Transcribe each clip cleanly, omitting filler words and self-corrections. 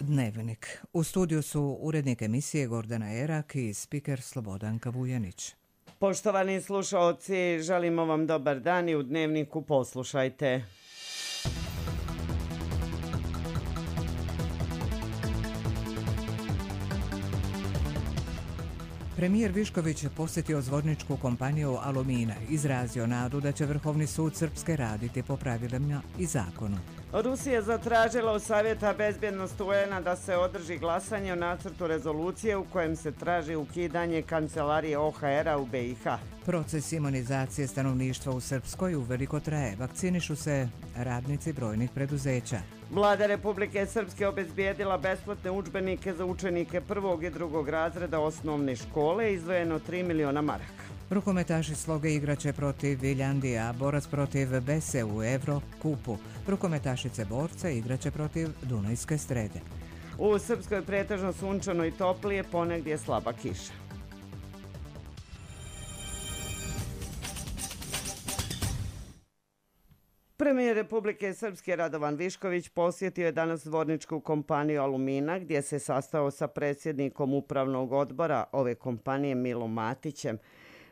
Dnevnik. U studiju su urednik emisije Gordana Erak i spiker Slobodanka Vujanić. Poštovani slušaoci, želimo vam dobar dan i u Dnevniku poslušajte. Premijer Višković posjetio zvorničku kompaniju Alumina, izrazio nadu da će Vrhovni sud Srpske raditi po pravilima i zakonu. Rusija zatražila od Savjeta bezbjednosti UN-a da se održi glasanje o nacrtu rezolucije u kojem se traži ukidanje kancelarije OHR-a u BiH. Proces imunizacije stanovništva u Srpskoj uveliko traje. Vakcinišu se radnici brojnih preduzeća. Vlada Republike Srpske obezbijedila besplatne udžbenike za učenike prvog i drugog razreda osnovne škole, izdvojeno 3 miliona maraka. Rukometaši Sloge igraće protiv Viljandija, borac protiv Bese u Evrokupu. Rukometašice borce igraće protiv Dunajske Strede. U Srpskoj pretežno sunčano i toplije, ponegdje slaba kiša. Premijer Republike Srpske Radovan Višković posjetio je danas zvorničku kompaniju Alumina, gdje se sastao sa predsjednikom upravnog odbora ove kompanije Milom Matićem.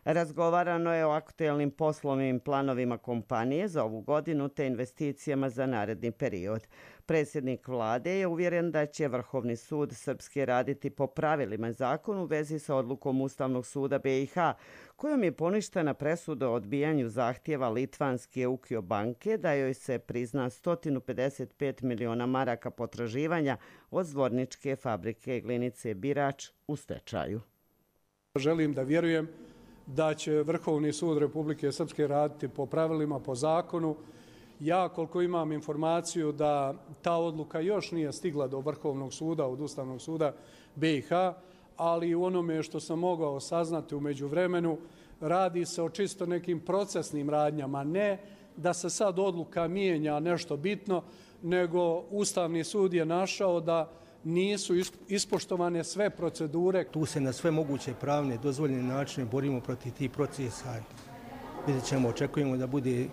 Razgovarano je o aktuelnim poslovnim planovima kompanije za ovu godinu te investicijama za naredni period. Predsjednik vlade je uvjeren da će Vrhovni sud Srpske raditi po pravilima zakonu u vezi sa odlukom Ustavnog suda BiH, kojom je poništena presuda o odbijanju zahtjeva litvanske Eukio banke da joj se prizna 155 miliona maraka potraživanja od zvorničke fabrike glinice Birač u stečaju. Želim da vjerujem da će Vrhovni sud Republike Srpske raditi po pravilima, po zakonu. Ja, koliko imam informaciju da ta odluka još nije stigla do Vrhovnog suda, od Ustavnog suda BiH, ali u onome što sam mogao saznati u međuvremenu, radi se o čisto nekim procesnim radnjama, ne da se sad odluka mijenja nešto bitno, nego Ustavni sud je našao da nisu ispoštovane sve procedure. Tu se na sve moguće pravne dozvoljene načine borimo protiv tih procesa. Vidjet ćemo, očekujemo da bude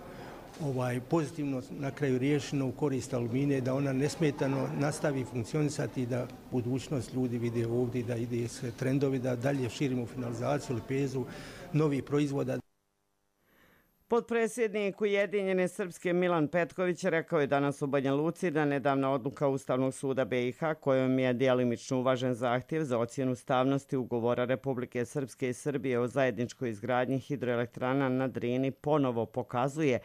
pozitivno na kraju riješeno u korist Alumine, da ona nesmetano nastavi funkcionisati i da budućnost ljudi vide ovdje, da ide sve trendovi, da dalje širimo finalizaciju, lepezu novih proizvoda. Potpredsjednik Ujedinjene Srpske Milan Petković rekao je danas u Banja Luci da nedavna odluka Ustavnog suda BiH, kojom je djelimično uvažen zahtjev za ocjenu ustavnosti ugovora Republike Srpske i Srbije o zajedničkoj izgradnji hidroelektrana na Drini, ponovo pokazuje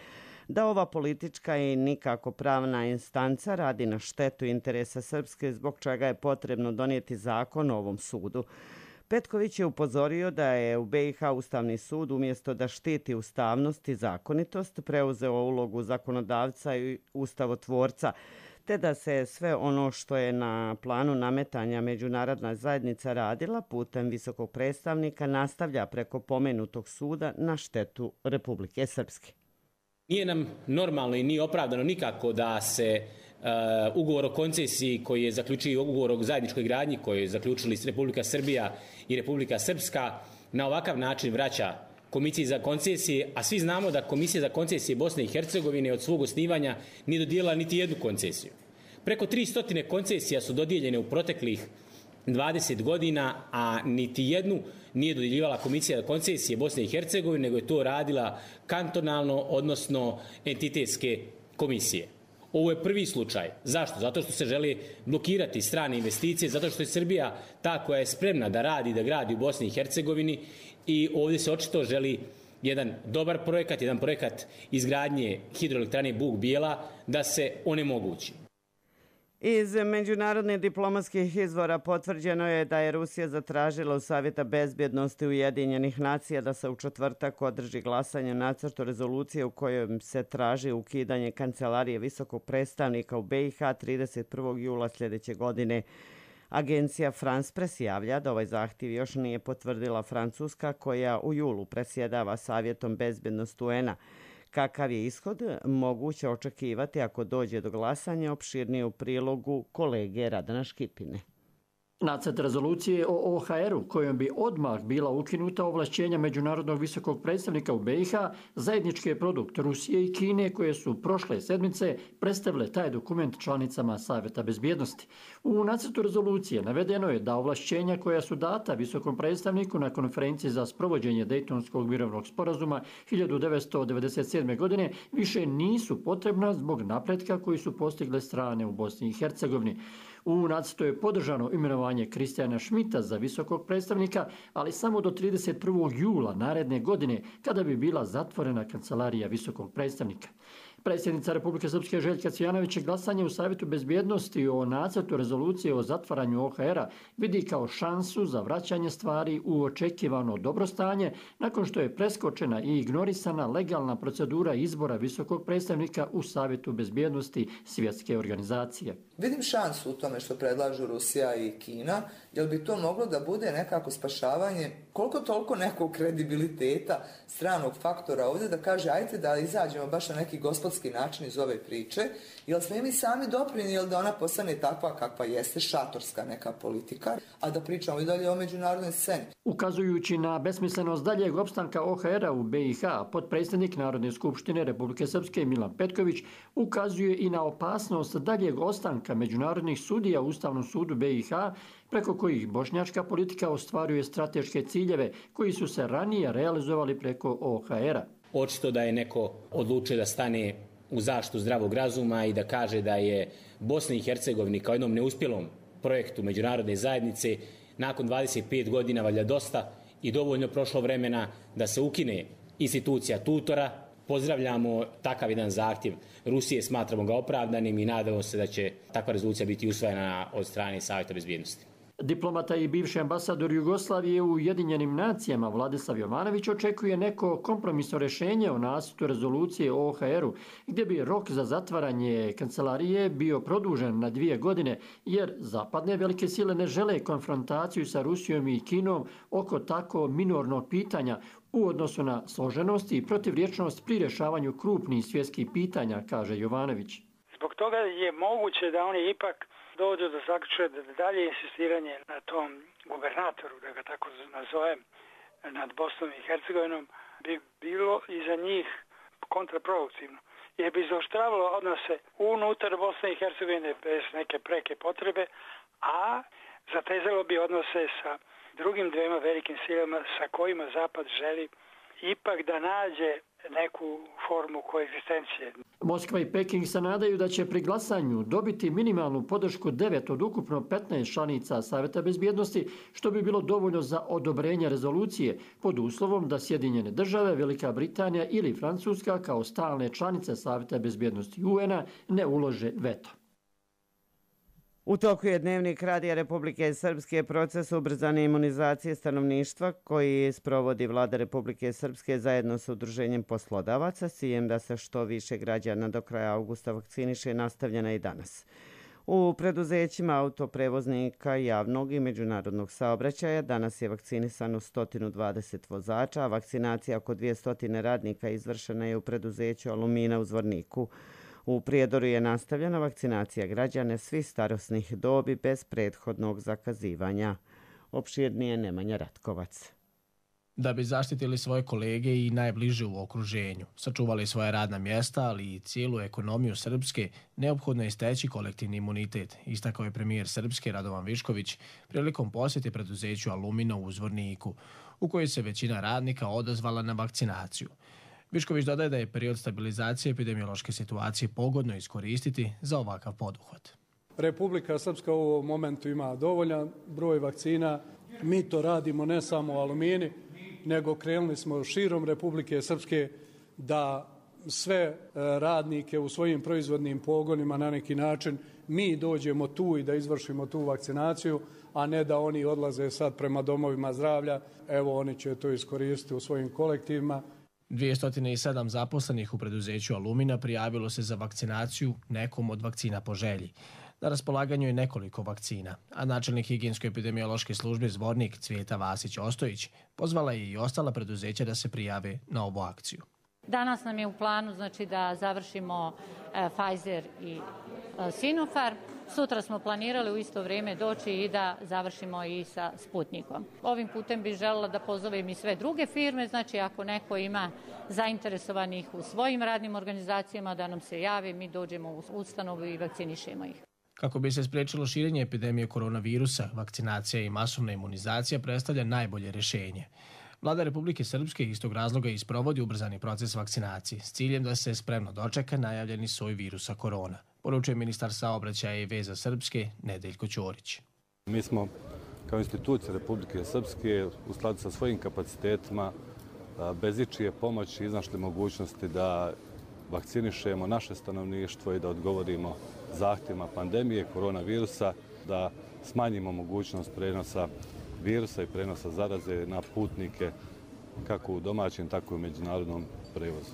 da ova politička i nikako pravna instanca radi na štetu interesa Srpske, zbog čega je potrebno donijeti zakon o ovom sudu. Petković je upozorio da je u BiH Ustavni sud umjesto da štiti ustavnost i zakonitost preuzeo ulogu zakonodavca i ustavotvorca, te da se sve ono što je na planu nametanja međunarodna zajednica radila putem visokog predstavnika nastavlja preko pomenutog suda na štetu Republike Srpske. Nije nam normalno i nije opravdano nikako da se ugovor o koncesiji koji je zaključio ugovor o zajedničkoj gradnji koji je zaključili Republika Srbija i Republika Srpska na ovakav način vraća Komisiji za koncesije, a svi znamo da Komisija za koncesije Bosne i Hercegovine od svog osnivanja nije dodijelila niti jednu koncesiju. Preko 300 koncesija su dodijeljene u proteklih 20 godina, a niti jednu nije dodjeljivala Komisija za koncesije Bosne i Hercegovine, nego je to radila kantonalno, odnosno entitetske komisije. Ovo je prvi slučaj. Zašto? Zato što se želi blokirati strane investicije, zato što je Srbija ta koja je spremna da radi, da gradi u Bosni i Hercegovini i ovdje se očito želi jedan dobar projekat, jedan projekat izgradnje hidroelektrane Bug Bijela da se onemogući. Iz međunarodnih diplomatskih izvora potvrđeno je da je Rusija zatražila u Savjeta bezbjednosti Ujedinjenih nacija da se u četvrtak održi glasanje nacrtu rezolucije u kojoj se traži ukidanje kancelarije visokog predstavnika u BiH 31. jula sljedeće godine. Agencija France Press javlja da ovaj zahtjev još nije potvrdila Francuska, koja u julu predsjedava Savjetom bezbjednosti UN-a. Kakav je ishod moguće očekivati ako dođe do glasanja, opširnije u prilogu kolege Radana Škipine. Nacrt rezolucije o OHR-u kojom bi odmah bila ukinuta ovlašćenja Međunarodnog visokog predstavnika u BiH, zajednički je produkt Rusije i Kine koje su prošle sedmice predstavile taj dokument članicama Savjeta bezbjednosti. U nacrtu rezolucije navedeno je da ovlašćenja koja su data visokom predstavniku na konferenciji za sprovođenje Dejtonskog mirovnog sporazuma 1997. godine više nisu potrebna zbog napretka koji su postigle strane u Bosni i Hercegovini. U nacrtu je podržano imenovanje Kristijana Šmita za visokog predstavnika, ali samo do 31. jula naredne godine, kada bi bila zatvorena kancelarija visokog predstavnika. Predsjednica Republike Srpske Željka Cvijanović glasanje u Savjetu bezbjednosti o nacrtu rezolucije o zatvaranju OHR-a vidi kao šansu za vraćanje stvari u očekivano dobrostanje nakon što je preskočena i ignorisana legalna procedura izbora visokog predstavnika u Savjetu bezbjednosti Svjetske organizacije. Vidim šansu u tome što predlažu Rusija i Kina, jer bi to moglo da bude nekako spašavanje koliko toliko nekog kredibiliteta stranog faktora ovdje da kaže ajte da izađemo baš na neki gospodski način iz ove priče, jer smo mi sami doprinijeli da ona postane takva kakva jeste, šatorska neka politika, a da pričamo i dalje o međunarodnoj sceni. Ukazujući na besmislenost daljeg opstanka OHR-a u BiH, potpredsjednik Narodne skupštine Republike Srpske Milan Petković ukazuje i na opasnost daljeg ostanka međunarodnih sudija u Ustavnom sudu BiH, preko kojih bošnjačka politika ostvaruje strateške ciljeve koji su se ranije realizovali preko OHR-a. Očito da je neko odlučio da stane u zaštitu zdravog razuma i da kaže da je Bosni i Hercegovini kao jednom neuspjelom projektu međunarodne zajednice nakon 25 godina valjda dosta i dovoljno prošlo vremena da se ukine institucija tutora. Pozdravljamo takav jedan zahtjev Rusije, smatramo ga opravdanim i nadamo se da će takva rezolucija biti usvojena od strane Savjeta bezbjednosti. Diplomata i bivši ambasador Jugoslavije u Ujedinjenim nacijama Vladislav Jovanović očekuje neko kompromisno rješenje o nacrtu rezolucije o OHR-u, gdje bi rok za zatvaranje kancelarije bio produžen na 2 godine, jer zapadne velike sile ne žele konfrontaciju sa Rusijom i Kinom oko tako minornog pitanja u odnosu na složenost i protivrječnost pri rješavanju krupnih svjetskih pitanja, kaže Jovanović. Zbog toga je moguće da oni ipak dođu do zaključka da dalje insistiranje na tom gubernatoru, da ga tako nazovem, nad Bosnom i Hercegovinom bi bilo i za njih kontraproduktivno. Jer bi zaoštravalo odnose unutar Bosne i Hercegovine bez neke preke potrebe, a zatezalo bi odnose sa drugim dvema velikim silama sa kojima Zapad želi ipak da nađe neku formu koegzistencije. Moskva i Peking se nadaju da će pri glasanju dobiti minimalnu podršku 9 od ukupno 15 članica Savjeta bezbjednosti, što bi bilo dovoljno za odobrenje rezolucije, pod uslovom da Sjedinjene države, Velika Britanija ili Francuska kao stalne članice Savjeta bezbjednosti UN-a ne ulože veto. U toku je Dnevnik Radija Republike Srpske proces ubrzane imunizacije stanovništva koji sprovodi Vlada Republike Srpske zajedno sa Udruženjem poslodavaca s ciljem da se što više građana do kraja avgusta vakciniše nastavljena i danas. U preduzećima autoprevoznika javnog i međunarodnog saobraćaja danas je vakcinisano 120 vozača, a vakcinacija oko 200 radnika izvršena je u preduzeću Alumina u Zvorniku. U Prijedoru je nastavljena vakcinacija građana svih starosnih dobi bez prethodnog zakazivanja. Opširnije Nemanja Ratkovac. Da bi zaštitili svoje kolege i najbliže u okruženju, sačuvali svoje radna mjesta, ali i cijelu ekonomiju Srpske, neophodno je steći kolektivni imunitet, istakao je premijer Srpske Radovan Višković prilikom posjete preduzeću Alumina u Zvorniku, u kojoj se većina radnika odazvala na vakcinaciju. Višković dodaje da je period stabilizacije epidemiološke situacije pogodno iskoristiti za ovakav poduhvat. Republika Srpska u ovom momentu ima dovoljan broj vakcina. Mi to radimo ne samo u Alumini, nego krenuli smo širom Republike Srpske da sve radnike u svojim proizvodnim pogonima na neki način mi dođemo tu i da izvršimo tu vakcinaciju, a ne da oni odlaze sad prema domovima zdravlja. Evo, oni će to iskoristiti u svojim kolektivima. 207 zaposlenih u preduzeću Alumina prijavilo se za vakcinaciju nekom od vakcina po želji. Na raspolaganju je nekoliko vakcina, a načelnik higijensko-epidemiološke službe Zvornik Cvijeta Vasić-Ostojić pozvala je i ostala preduzeća da se prijave na ovu akciju. Danas nam je u planu da završimo Pfizer i Sinopharm. Sutra smo planirali u isto vrijeme doći i da završimo i sa Sputnikom. Ovim putem bih željela da pozovem i sve druge firme, znači ako neko ima zainteresovanih u svojim radnim organizacijama da nam se javi, mi dođemo u ustanovu i vakcinišemo ih. Kako bi se spriječilo širenje epidemije koronavirusa, vakcinacija i masovna imunizacija predstavlja najbolje rješenje. Vlada Republike Srpske iz tog razloga isprovodi ubrzani proces vakcinacije s ciljem da se spremno dočeka najavljeni soj virusa korona, poručuje ministar saobraćaja i veza Srpske Nedeljko Ćorić. Mi smo kao institucija Republike Srpske u skladu sa svojim kapacitetima bez ičije pomoći iznašli mogućnosti da vakcinišemo naše stanovništvo i da odgovorimo zahtjevima pandemije koronavirusa, da smanjimo mogućnost prenosa virusa i prenosa zaraze na putnike kako u domaćem, tako i u međunarodnom prevozu.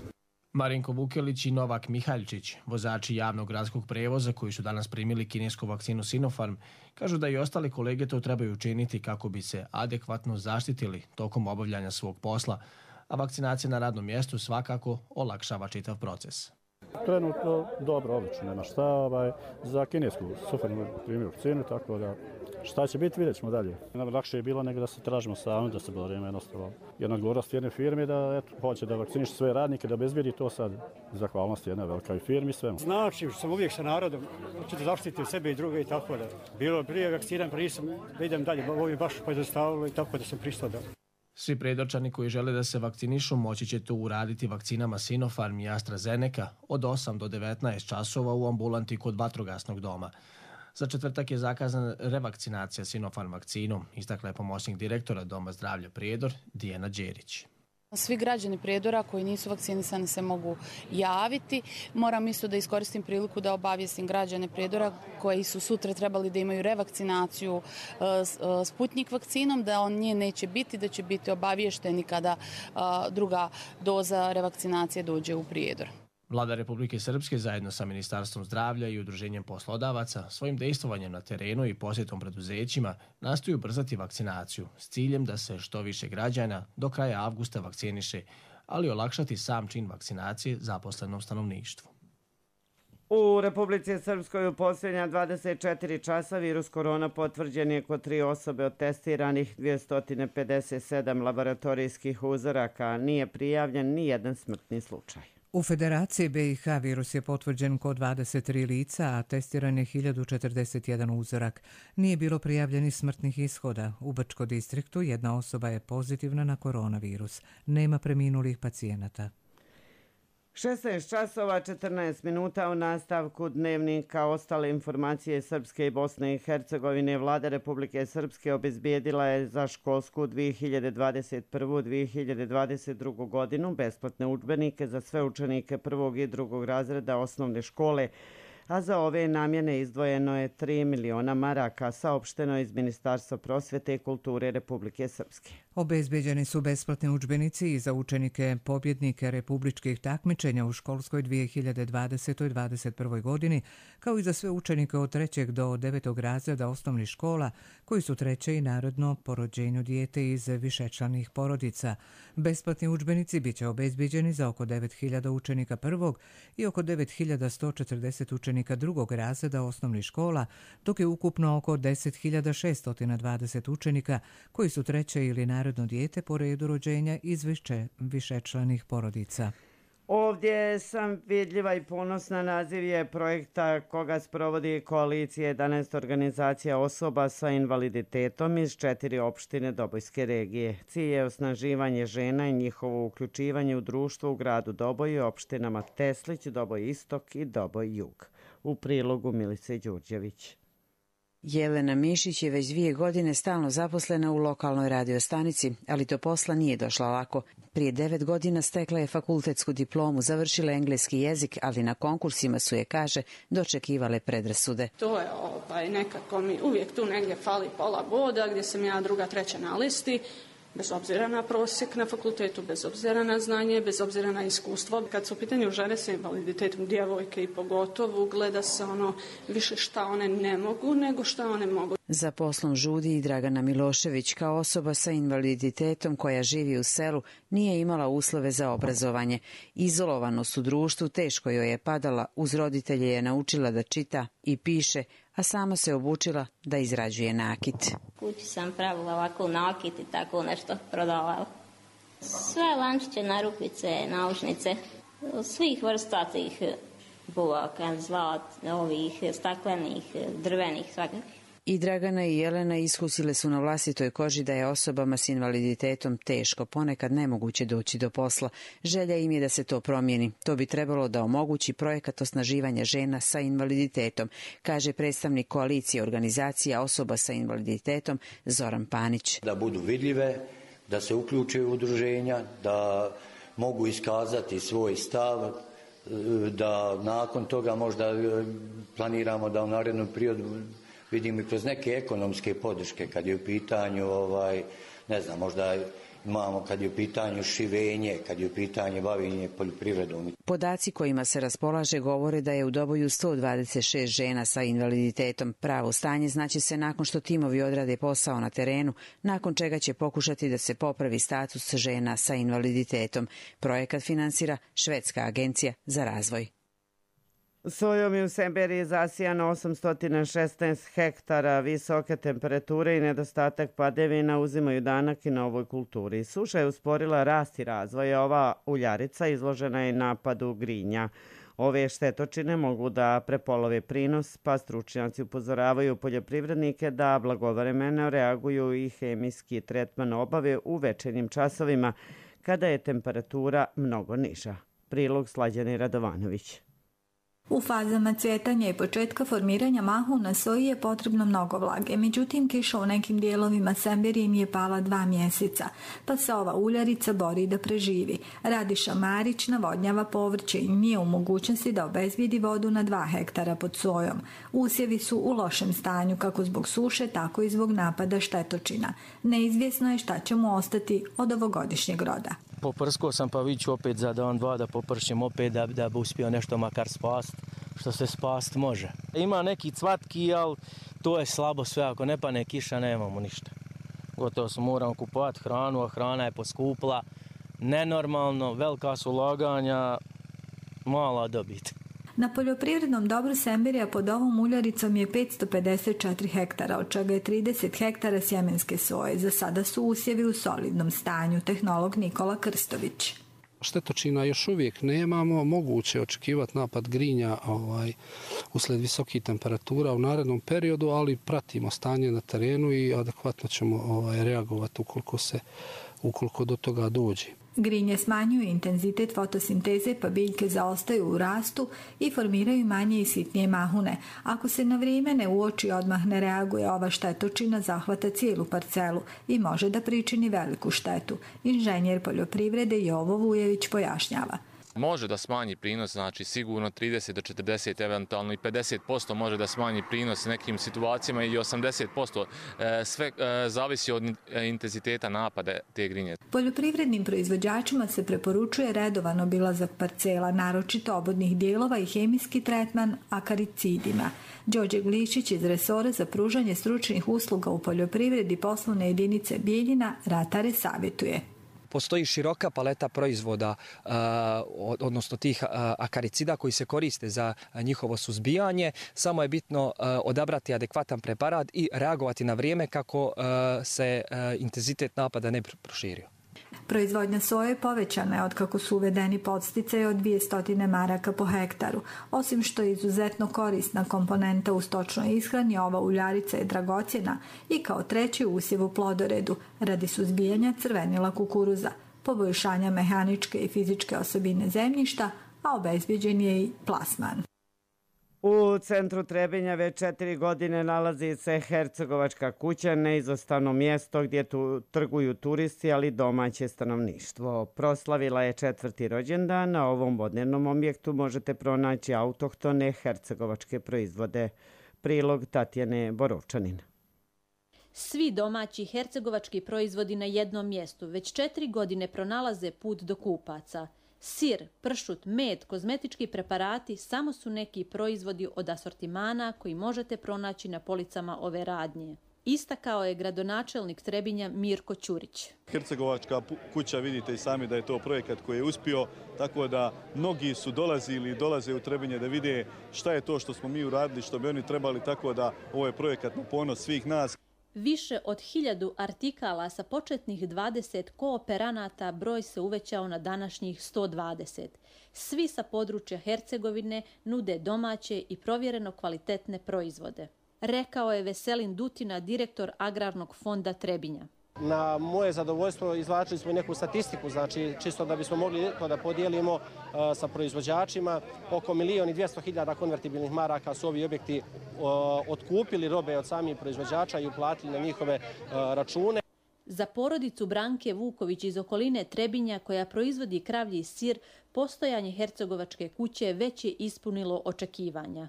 Marinko Vukelić i Novak Mihaljčić, vozači javnog gradskog prevoza koji su danas primili kinesku vakcinu Sinopharm, kažu da i ostali kolege to trebaju učiniti kako bi se adekvatno zaštitili tokom obavljanja svog posla, a vakcinacija na radnom mjestu svakako olakšava čitav proces. Trenutno dobro, odlično, nema šta. Za kinesku Sinopharm primio vakcinu, tako da šta će biti, vidjet ćemo dalje. Lakše je bilo nego da se tražimo sami, da se borimo jednostavno. Jedna odgovornost jedne firme da hoće da vakciniše sve radnike, da obezbedi to sad. Zahvalnost jedne velikoj firmi, svemu. Znači, sam uvijek sa narodom, hoću da zaštitim sebe i druge i tako da. Bilo prije vakcinan, prije sam, da idem dalje, ovo je baš pojednostavilo i tako da sam pristao da. Svi predočani koji žele da se vakcinišu moći će to uraditi vakcinama Sinopharm i AstraZeneca od 8 do 19 časova u ambulanti kod vatrogasnog doma. Za četvrtak je zakazana revakcinacija Sinopharm vakcinom, istakla je pomoćnik direktora Doma zdravlja Prijedor Dijana Đerić. Svi građani Prijedora koji nisu vakcinisani se mogu javiti. Moram isto da iskoristim priliku da obavijestim građane Prijedora koji su sutra trebali da imaju revakcinaciju Sputnik vakcinom, da on nje neće biti, da će biti obaviješteni kada druga doza revakcinacije dođe u Prijedor. Vlada Republike Srpske zajedno sa Ministarstvom zdravlja i Udruženjem poslodavaca svojim dejstvovanjem na terenu i posjetom preduzećima nastoji ubrzati vakcinaciju s ciljem da se što više građana do kraja avgusta vakciniše, ali olakšati sam čin vakcinacije zaposlenom stanovništvu. U Republici Srpskoj u posljednja 24 časa virus korona potvrđen je kod 3 osobe od testiranih 257 laboratorijskih uzoraka. Nije prijavljen ni jedan smrtni slučaj. U Federaciji BiH virus je potvrđen kod 23 lica, a testiran je 1041 uzorak. Nije bilo prijavljenih smrtnih ishoda. U Brčko distriktu jedna osoba je pozitivna na koronavirus. Nema preminulih pacijenata. 16 časova 14 minuta u nastavku dnevnika. Ostale informacije Srpske i Bosne i Hercegovine. Vlada Republike Srpske obezbijedila je za školsku 2021-2022 godinu besplatne udžbenike za sve učenike prvog i drugog razreda osnovne škole, a za ove namjene izdvojeno je 3 miliona maraka, saopšteno iz Ministarstva prosvete i kulture Republike Srpske. Obezbeđeni su besplatni udžbenici i za učenike pobjednike republičkih takmičenja u školskoj 2020-2021 godini, kao i za sve učenike od 3. do 9. razreda osnovnih škola koji su treće i narodno po rođenju dijete iz višečlanih porodica. Besplatni udžbenici biće obezbeđeni za oko 9.000 učenika prvog i oko 9.140 učenika drugog razreda osnovnih škola, dok je ukupno oko 10.620 učenika koji su treće ili narodno dijete po redu rođenja iz višečlanih porodica. Ovdje sam vidljiva i ponosna. Naziv je projekta koga sprovodi koalicija 11 organizacija osoba sa invaliditetom iz 4 opštine Dobojske regije. Cilj je osnaživanje žena i njihovo uključivanje u društvo u gradu Doboj i opštinama Teslić, Doboj Istok i Doboj Jug. U prilogu Milice Đurđević. Jelena Mišić je već 2 godine stalno zaposlena u lokalnoj radiostanici, ali do posla nije došla lako. Prije 9 godina stekla je fakultetsku diplomu, završila engleski jezik, ali na konkursima su je, kaže, dočekivale predrasude. To je nekako mi uvijek tu negdje fali pola boda, gdje sam ja druga, treća na listi. Bez obzira na prosjek na fakultetu, bez obzira na znanje, bez obzira na iskustvo. Kad su u pitanju žene sa invaliditetom, djevojke i pogotovo, gleda se više šta one ne mogu nego šta one mogu. Za poslom žudi i Dragana Milošević, kao osoba sa invaliditetom koja živi u selu, nije imala uslove za obrazovanje. Izolovanost u društvu teško joj je padala, uz roditelje je naučila da čita i piše, a sama se obučila da izrađuje nakit. Kući sam pravila ovako nakit i tako nešto prodavala. Sve lančiće, narukvice, naušnice, svih vrsta tih buvaka, zlat, ovih staklenih, drvenih, svakakvih. I Dragana i Jelena iskusile su na vlastitoj koži da je osobama s invaliditetom teško, ponekad nemoguće doći do posla. Želja im je da se to promijeni. To bi trebalo da omogući projekat osnaživanja žena sa invaliditetom, kaže predstavnik koalicije organizacija osoba sa invaliditetom Zoran Panić. Da budu vidljive, da se uključe u udruženja, da mogu iskazati svoj stav, da nakon toga možda planiramo da u narednom periodu vidimo i kroz neke ekonomske podrške kad je u pitanju, ne znam, možda imamo kad je u pitanju šivenje, kad je u pitanju bavljenje poljoprivredom. Podaci kojima se raspolaže govore da je u Doboju 126 žena sa invaliditetom. Pravo stanje znaće se nakon što timovi odrade posao na terenu, nakon čega će pokušati da se popravi status žena sa invaliditetom. Projekat finansira Švedska agencija za razvoj. Sojom je u Semberiji zasijano 816 hektara. Visoke temperature i nedostatak padavina uzimaju danak i na ovoj kulturi. Suša je usporila rast i razvoj. Ova uljarica izložena je napadu grinja. Ove štetočine mogu da prepolove prinos, pa stručnjaci upozoravaju poljoprivrednike da blagovremeno reaguju i hemijski tretman obave u večernjim časovima kada je temperatura mnogo niža. Prilog Slađane Radovanović. U fazama cvjetanja i početka formiranja mahuna soji je potrebno mnogo vlage, međutim kiša u nekim dijelovima Semberije im je pala 2 mjeseca, pa se ova uljarica bori da preživi. Radiša Marić navodnjava povrće i nije u mogućnosti da obezbijedi vodu na 2 hektara pod sojom. Usjevi su u lošem stanju kako zbog suše, tako i zbog napada štetočina. Neizvjesno je šta će mu ostati od ovogodišnjeg roda. Poprskao sam pa viću opet za dan, dva da popršim opet da bi uspio nešto makar spast, što se spast može. Ima neki cvatki, ali to je slabo sve, ako ne pane kiša nemamo ništa. Gotovo smo moramo kupovati hranu, a hrana je poskupla, nenormalno, velika su ulaganja, mala dobit. Na poljoprivrednom dobru Semberija pod ovom uljaricom je 554 hektara, od čega je 30 hektara sjemenske soje. Za sada su usjevi u solidnom stanju, tehnolog Nikola Krstović. Štetočina još uvijek nemamo, moguće očekivati napad grinja usled visokih temperatura u narednom periodu, ali pratimo stanje na terenu i adekvatno ćemo reagovati ukoliko do toga dođe. Grinje smanjuju intenzitet fotosinteze pa biljke zaostaju u rastu i formiraju manje i sitnije mahune. Ako se na vrijeme ne uoči odmah ne reaguje, ova štetočina zahvata cijelu parcelu i može da pričini veliku štetu. Inženjer poljoprivrede Jovo Vujević pojašnjava. Može da smanji prinos, znači sigurno 30 do 40, eventualno i 50% može da smanji prinos nekim situacijama i 80%. Sve zavisi od intenziteta napada te grinje. Poljoprivrednim proizvođačima se preporučuje redovan obilazak parcela, naročito obodnih dijelova i hemijski tretman akaricidima. Đorđe Glišić iz resora za pružanje stručnih usluga u poljoprivredi poslovne jedinice Bijeljina ratare savjetuje. Postoji široka paleta proizvoda, odnosno tih akaricida koji se koriste za njihovo suzbijanje. Samo je bitno odabrati adekvatan preparat i reagovati na vrijeme kako se intenzitet napada ne proširio. Proizvodnja soje povećana je otkako su uvedeni podsticaji od 200 maraka po hektaru. Osim što je izuzetno korisna komponenta u stočnoj ishrani, ova uljarica je dragocjena i kao treći usjev u plodoredu radi suzbijanja crvenila kukuruza, poboljšanja mehaničke i fizičke osobine zemljišta, a obezbjeđen je i plasman. U centru Trebinja već 4 godine nalazi se Hercegovačka kuća, neizostavno mjesto gdje trguju turisti, ali domaće stanovništvo. Proslavila je 4. rođendan, na ovom vodnenom objektu možete pronaći autohtone hercegovačke proizvode. Prilog Tatjane Borovčanin. Svi domaći hercegovački proizvodi na jednom mjestu već 4 godine pronalaze put do kupaca. Sir, pršut, med, kozmetički preparati samo su neki proizvodi od asortimana koji možete pronaći na policama ove radnje. istakao je gradonačelnik Trebinja Mirko Ćurić. Hercegovačka kuća, vidite i sami da je to projekat koji je uspio, tako da mnogi su dolazili i dolaze u Trebinje da vide šta je to što smo mi uradili, što bi oni trebali, tako da ovo je projekat na ponos svih nas. Više od 1000 artikala sa početnih 20 kooperanata broj se uvećao na današnjih 120. Svi sa područja Hercegovine nude domaće i provjereno kvalitetne proizvode, rekao je Veselin Dutina, direktor Agrarnog fonda Trebinja. Na moje zadovoljstvo izvlačili smo i neku statistiku, znači čisto da bismo mogli to da podijelimo sa proizvođačima. Oko 1.200.000 konvertibilnih maraka su ovi objekti otkupili robe od samih proizvođača i uplatili na njihove račune. Za porodicu Branke Vuković iz okoline Trebinja, koja proizvodi kravlji sir, postojanje Hercegovačke kuće već je ispunilo očekivanja.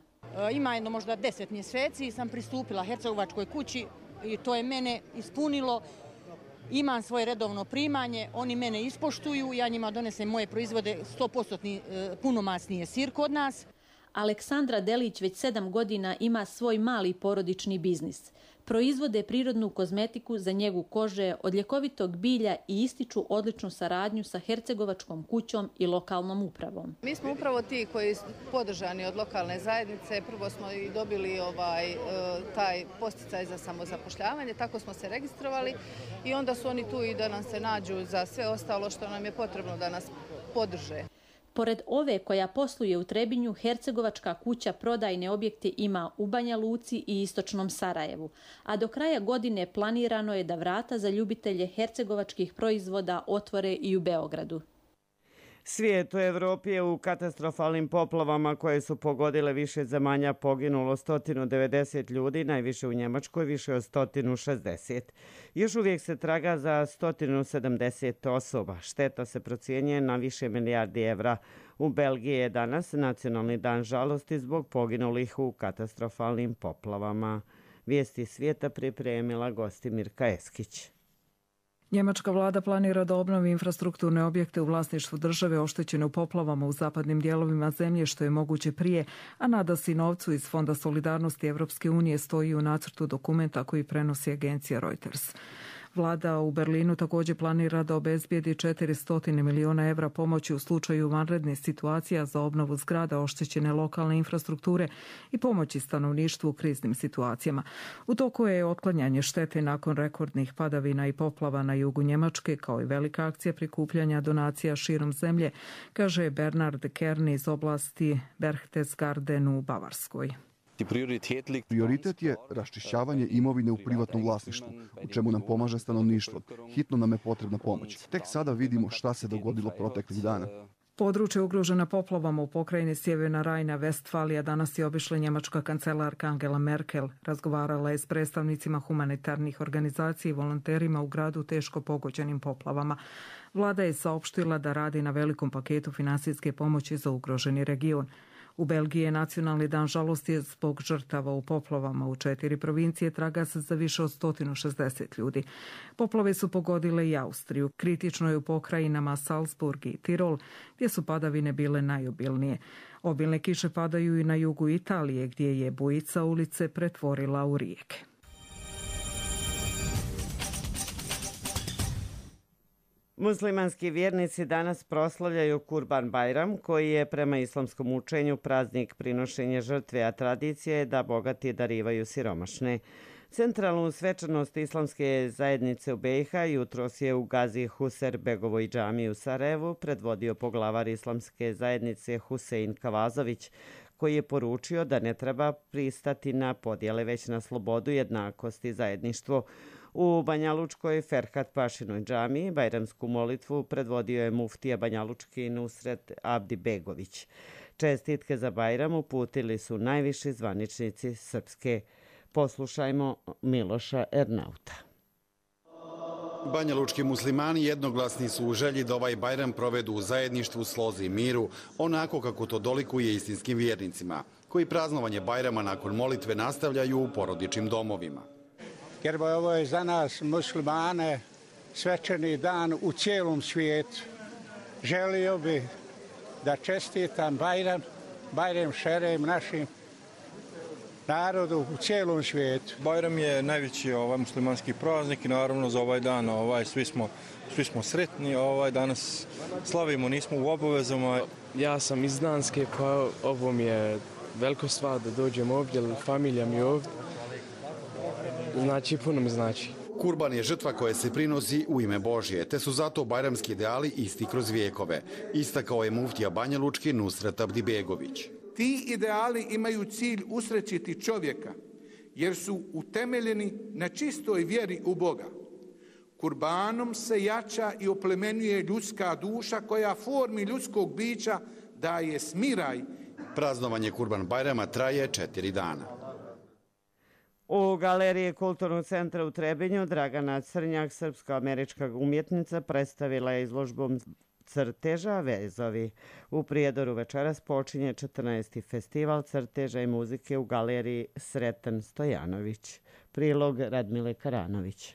Ima jedno možda 10 mjeseci sam pristupila Hercegovačkoj kući i to je mene ispunilo. Imam svoje redovno primanje, oni mene ispoštuju, ja njima donesem moje proizvode, 100% punomasnije sir kod nas. Aleksandra Delić već 7 godina ima svoj mali porodični biznis. Proizvode prirodnu kozmetiku za njegu kože od ljekovitog bilja i ističu odličnu saradnju sa Hercegovačkom kućom i lokalnom upravom. Mi smo upravo ti koji su podržani od lokalne zajednice. Prvo smo i dobili taj posticaj za samozapošljavanje, tako smo se registrovali i onda su oni tu i da nam se nađu za sve ostalo što nam je potrebno da nas podrže. Pored ove koja posluje u Trebinju, Hercegovačka kuća prodajne objekte ima u Banja Luci i istočnom Sarajevu, a do kraja godine planirano je da vrata za ljubitelje hercegovačkih proizvoda otvore i u Beogradu. Svijet u Evropi je u katastrofalnim poplavama koje su pogodile više zemalja poginulo 190 ljudi, najviše u Njemačkoj, više od 160. Još uvijek se traga za 170 osoba. Šteta se procjenjuje na više milijardi evra. U Belgiji je danas nacionalni dan žalosti zbog poginulih u katastrofalnim poplavama. Vijesti svijeta pripremila Gostimirka Eskić. Njemačka vlada planira da obnovi infrastrukturne objekte u vlasništvu države oštećene u poplavama u zapadnim dijelovima zemlje što je moguće prije, a nada se i novcu iz Fonda solidarnosti Evropske unije, stoji u nacrtu dokumenta koji prenosi agencija Reuters. Vlada u Berlinu također planira da obezbijedi 400 milijuna evra pomoći u slučaju vanrednih situacija za obnovu zgrada oštećene lokalne infrastrukture i pomoći stanovništvu u kriznim situacijama. U toku je otklanjanje štete nakon rekordnih padavina i poplava na jugu Njemačke, kao i velika akcija prikupljanja donacija širom zemlje, kaže Bernard Kern iz oblasti Berchtesgaden u Bavarskoj. Prioritet je raščišćavanje imovine u privatnom vlasništvu, u čemu nam pomaže stanovništvo. Hitno nam je potrebna pomoć. Tek sada vidimo šta se dogodilo proteklih dana. Područje ugrožena poplavama u pokrajini Sjeverna Rajna-Vestfalija danas je obišla njemačka kancelarka Angela Merkel. Razgovarala je s predstavnicima humanitarnih organizacija i volonterima u gradu teško pogođenim poplavama. Vlada je saopštila da radi na velikom paketu finansijske pomoći za ugroženi region. U Belgiji je nacionalni dan žalosti zbog žrtava u poplavama. U 4 provincije traga se za više od 160 ljudi. Poplave su pogodile i Austriju. Kritično je u pokrajinama Salzburg i Tirol, gdje su padavine bile najobilnije. Obilne kiše padaju i na jugu Italije, gdje je bujica ulice pretvorila u rijeke. Muslimanski vjernici danas proslavljaju Kurban Bajram, koji je prema islamskom učenju praznik prinošenja žrtve, a tradicija je da bogati darivaju siromašne. Centralnu svečanost islamske zajednice u BiH jutros je u Gazi Huser Begovoj džamiji u Sarajevu predvodio poglavar islamske zajednice Husein Kavazović, koji je poručio da ne treba pristati na podjele, već na slobodu, jednakost i zajedništvo. U Banjalučkoj Ferhat Pašinoj džamiji bajramsku molitvu predvodio je muftija Banjalučki Nusret Abdi Begović. Čestitke za Bajram uputili su najviši zvaničnici Srpske. Poslušajmo Miloša Ernauta. Banjalučki muslimani jednoglasni su u želji da ovaj Bajram provedu u zajedništvu, slozi i miru, onako kako to dolikuje istinskim vjernicima, koji praznovanje Bajrama nakon molitve nastavljaju u porodičnim domovima. Jer ovo je za nas muslimane svečani dan u cijelom svijetu. Želio bih da čestitam Bajram Šerem našim narodu u cijelom svijetu. Bajram je najveći muslimanski praznik i naravno za ovaj dan svi smo sretni. Danas slavimo, nismo u obavezama. Ja sam iz Danske, pa ovo mi je veliko stvar da dođem ovdje, familija mi je ovdje. Znači, puno mi znači. Kurban je žrtva koja se prinosi u ime Božje, te su zato bajramski ideali isti kroz vijekove. Istakao je muftija banjalučki Nusret Abdibegović. Ti ideali imaju cilj usrećiti čovjeka, jer su utemeljeni na čistoj vjeri u Boga. Kurbanom se jača i oplemenjuje ljudska duša koja formi ljudskog bića daje smiraj. Praznovanje Kurban Bajrama traje 4 dana. U Galeriji Kulturnog centra u Trebinju Dragana Crnjak, srpsko-američka umjetnica, predstavila je izložbom crteža Vezovi. U Prijedoru večeras počinje 14. festival crteža i muzike u Galeriji Sreten Stojanović. Prilog Radmile Karanović.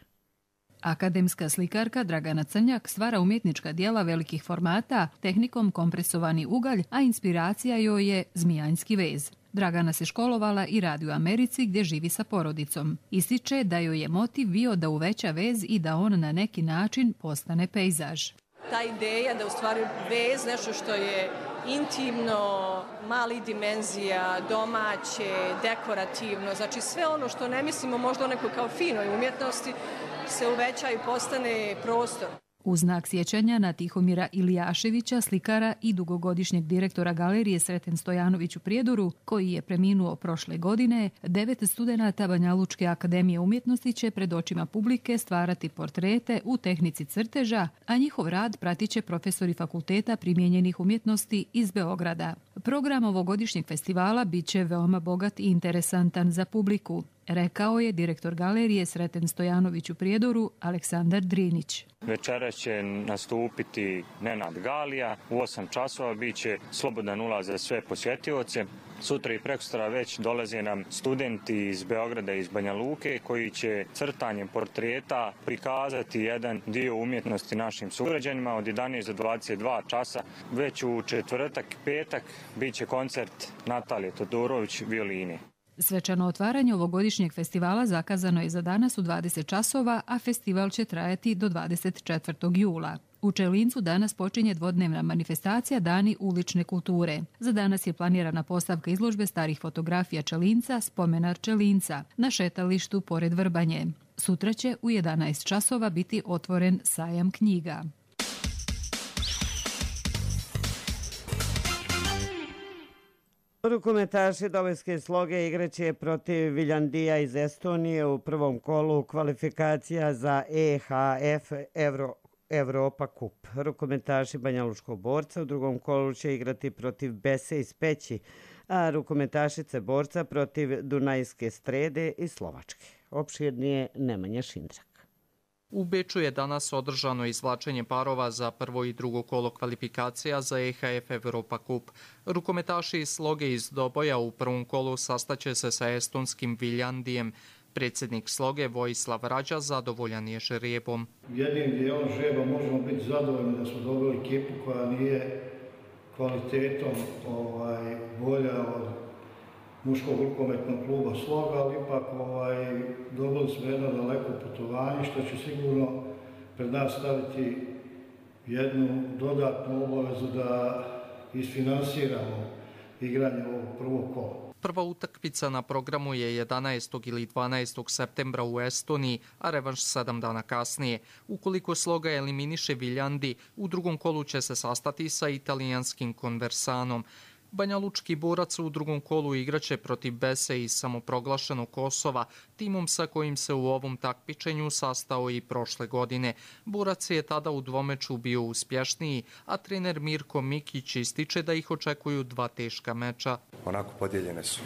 Akademska slikarka Dragana Crnjak stvara umjetnička djela velikih formata tehnikom kompresovani ugalj, a inspiracija joj je zmijanjski vez. Dragana se školovala i radi u Americi gdje živi sa porodicom. Ističe da joj je motiv bio da uveća vez i da on na neki način postane pejzaž. Ta ideja da u stvari vez, nešto što je intimno, malih dimenzija, domaće, dekorativno, znači sve ono što ne mislimo možda o nekoj kao finoj umjetnosti, se uveća i postane prostor. U znak sjećanja na Tihomira Ilijaševića, slikara i dugogodišnjeg direktora galerije Sreten Stojanović u Prijedoru, koji je preminuo prošle godine, 9 studenata Banjalučke akademije umjetnosti će pred očima publike stvarati portrete u tehnici crteža, a njihov rad pratit će profesori Fakulteta primijenjenih umjetnosti iz Beograda. Program ovogodišnjeg festivala bit će veoma bogat i interesantan za publiku, rekao je direktor galerije Sreten Stojanović u Prijedoru Aleksandar Drinić. Večeras će nastupiti Nenad Galija, u 8 časova bit će slobodan ulaz za sve posjetioce. Sutra i prekosutra već dolaze nam studenti iz Beograda i iz Banja Luke koji će crtanjem portreta prikazati jedan dio umjetnosti našim sugrađanima od 11 do 22 časa. Već u četvrtak i petak bit će koncert Natalije Todorović violine. Svečano otvaranje ovogodišnjeg festivala zakazano je za danas u 20 časova, a festival će trajati do 24. jula. U Čelincu danas počinje dvodnevna manifestacija Dani ulične kulture. Za danas je planirana postavka izložbe starih fotografija Čelinca, spomenar Čelinca, na šetalištu pored Vrbanje. Sutra će u 11 časova biti otvoren sajam knjiga. Rukometaši Dobojske Sloge igraće protiv Viljandija iz Estonije u prvom kolu kvalifikacija za EHF Evropa Kup. Rukometaši Banjalučkog Borca u drugom kolu će igrati protiv Bese iz Peći, a rukometašice Borca protiv Dunajske Strede iz Slovačke. Opširnije Nemanja Šindrak. U Beču je danas održano izvlačenje parova za prvo i drugo kolo kvalifikacija za EHF Evropa Kup. Rukometaši iz Sloge iz Doboja u prvom kolu sastaće se sa estonskim Viljandijem. Predsjednik Sloge Vojislav Rađa zadovoljan je žrebom. Jednim dijelom žreba možemo biti zadovoljni da smo dobili ekipu koja nije kvalitetom bolja od muškog rukometnog kluba Sloga, ali ipak dobili smo jedno daleko putovanje što će sigurno pred nas staviti jednu dodatnu obavezu da isfinansiramo igranje ovog prvog kola. Prva utakmica na programu je 11. ili 12. septembra u Estoniji, a revanš 7 dana kasnije. Ukoliko Sloga eliminiše Viljandi, u drugom kolu će se sastati sa italijanskim Conversanom. Banjalučki Borac u drugom kolu igraće protiv Bese iz samoproglašenog Kosova, timom sa kojim se u ovom takmičenju sastao i prošle godine. Borac je tada u dvomeču bio uspješniji, a trener Mirko Mikić ističe da ih očekuju 2 teška meča. Onako podijeljene su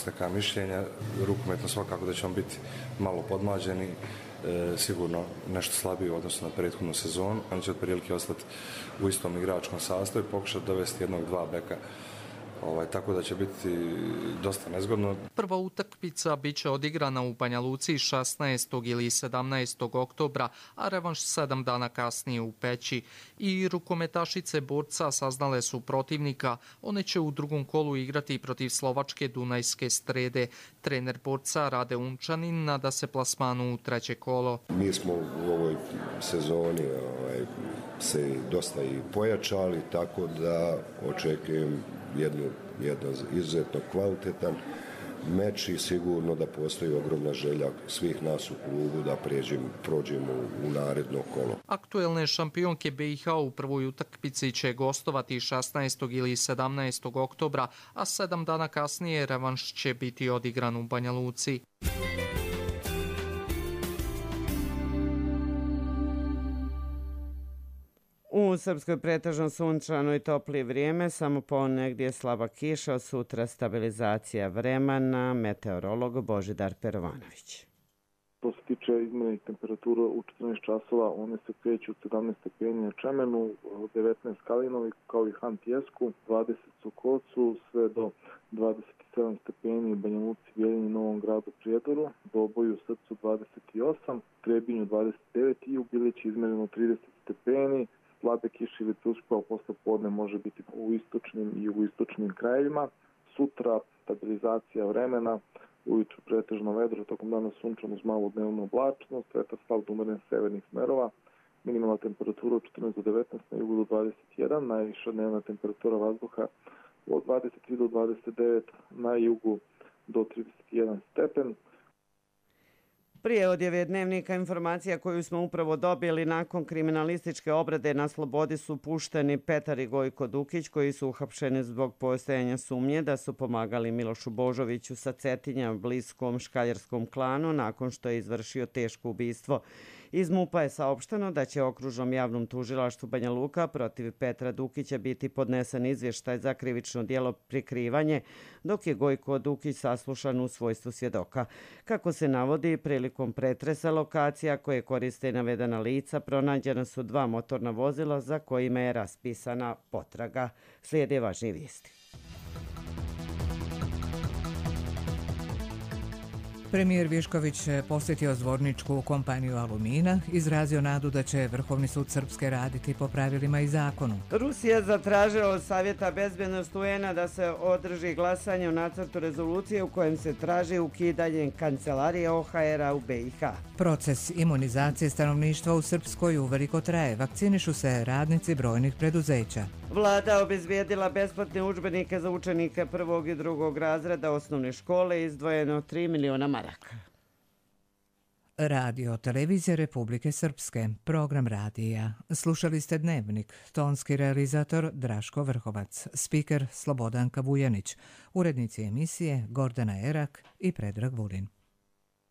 neka mišljenja, rukometno svakako da ćemo biti malo podmlađeni, sigurno nešto slabiji u odnosu na prethodnu sezonu. Oni će otprilike ostati u istom igračkom sastavu i pokušati dovesti 1-2 beka tako da će biti dosta nezgodno. Prva utakmica biće odigrana u Banja Luci 16. ili 17. oktobra, a revanš 7 dana kasnije u Peći. I rukometašice borca saznale su protivnika. One će u drugom kolu igrati protiv slovačke Dunajske Strede. Trener borca Rade Unčanin nada se plasmanu u treće kolo. Mi smo u ovoj sezoni se dosta i pojačali, tako da očekujem jedan izuzetno kvalitetan meč i sigurno da postoji ogromna želja svih nas u klubu da prođemo u naredno kolo. Aktuelne šampionke BiH u prvoj utakmici će gostovati 16. ili 17. oktobra, a 7 dana kasnije revanš će biti odigran u Banja Luci. U Srpskoj pretežno sunčano i topli vrijeme, samo ponegdje slaba kiša, od sutra stabilizacija vremena, meteorolog Božidar Perovanović. Što se tiče izmjerenih temperatura u 14 časova, one se kreću od 17 stepeni na Čemenu, 19 Kalinovi kao i Han Tjesku, 20 Sokocu, sve do 27 stepeni u Banja Luci, Bjeljini, Novom Gradu, Prijedoru, Doboju, Srcu 28, Trebinju 29 i u Bilići izmjereno 30 stepeni. Slabe kiše ili tušpao posle podne može biti u istočnim i jugoistočnim krajevima. Sutra stabilizacija vremena, ujutru pretežno vedro, tokom dana sunčano uz malu dnevnu oblačnost, vetar slab do umeren severnih smerova, minimalna temperatura od 14 do 19, na jugu do 21, najviša dnevna temperatura vazduha od 23 do 29, na jugu do 31 stepen. Prije odjave dnevnika informacija koju smo upravo dobili nakon kriminalističke obrade na slobodi su pušteni Petar i Gojko Dukić koji su uhapšeni zbog postojanja sumnje da su pomagali Milošu Božoviću sa Cetinja bliskom škaljarskom klanu nakon što je izvršio teško ubistvo. Iz MUP-a je saopšteno da će okružnom javnom tužilaštvu Banja Luka protiv Petra Dukića biti podnesen izvještaj za krivično djelo prikrivanje, dok je Gojko Dukić saslušan u svojstvu svjedoka. Kako se navodi, prilikom pretresa lokacija koje koriste navedena lica pronađena su 2 motorna vozila za kojima je raspisana potraga. Slijede važni vijesti. Premijer Višković posjetio zvorničku kompaniju Alumina, izrazio nadu da će Vrhovni sud Srpske raditi po pravilima i zakonu. Rusija zatražila od Savjeta bezbednosti UN-a da se održi glasanje o nacrtu rezolucije u kojem se traži ukidanje kancelarije OHR-a u BiH. Proces imunizacije stanovništva u Srpskoj uveliko traje. Vakcinišu se radnici brojnih preduzeća. Vlada obezbijedila besplatne udžbenike za učenike 1. i 2. razreda osnovne škole, izdvojeno 3 miliona maraka. Radio Televizija Republike Srpske, program radija. Slušali ste Dnevnik, tonski realizator Draško Vrhovac, spiker Slobodanka Vujanić, urednici emisije Gordana Erak i Predrag Vulin.